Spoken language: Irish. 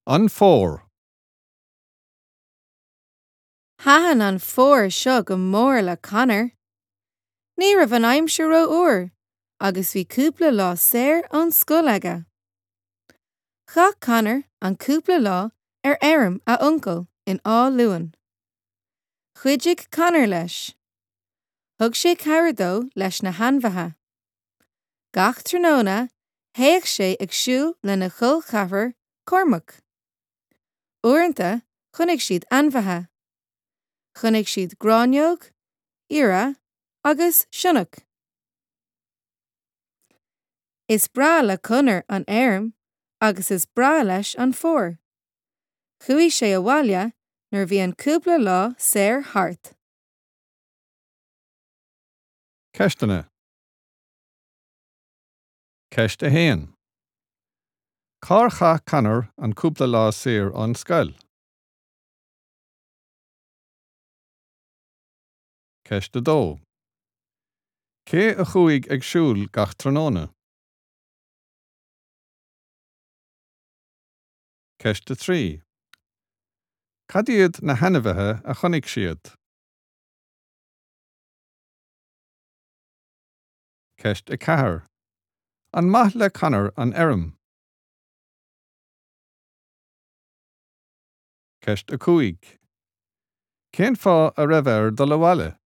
An Fómhar. Thaitin an fómhar seo go mór le Conor. Ní raibh an aimsir rófhuar agus bhí cúpla lá saor ón scoil aige. Chaith Conor an cúpla lá ar fheirm a uncail in Áth Luain. Chuidigh Conor leis. Thug sé cabhair dó leis na hainmhithe. Gach tráthnóna théadh sé ag siúl lena chol ceathrar Cormac. Uaireanta chonaic siad ainmhithe. Chonaic siad gráinneog, iora agus sionnach. Is breá le Conor an fheirm agus is breá leis an fómhar. Chuaigh sé abhaile nuair a bhí an cúpla lá saor thart. Ceisteanna. Ceist 1. Cár chaith Conor an cúpla lá saor ón scoil? Ceist 2. Cé a chuaigh ag siúl gach tráthnóna? Ceist 3. Cad iad na hainmhithe a chonaic siad? Ceist 4. An maith le Conor an fheirm? Ceist 5. Cén fáth a raibh air dul abhaile?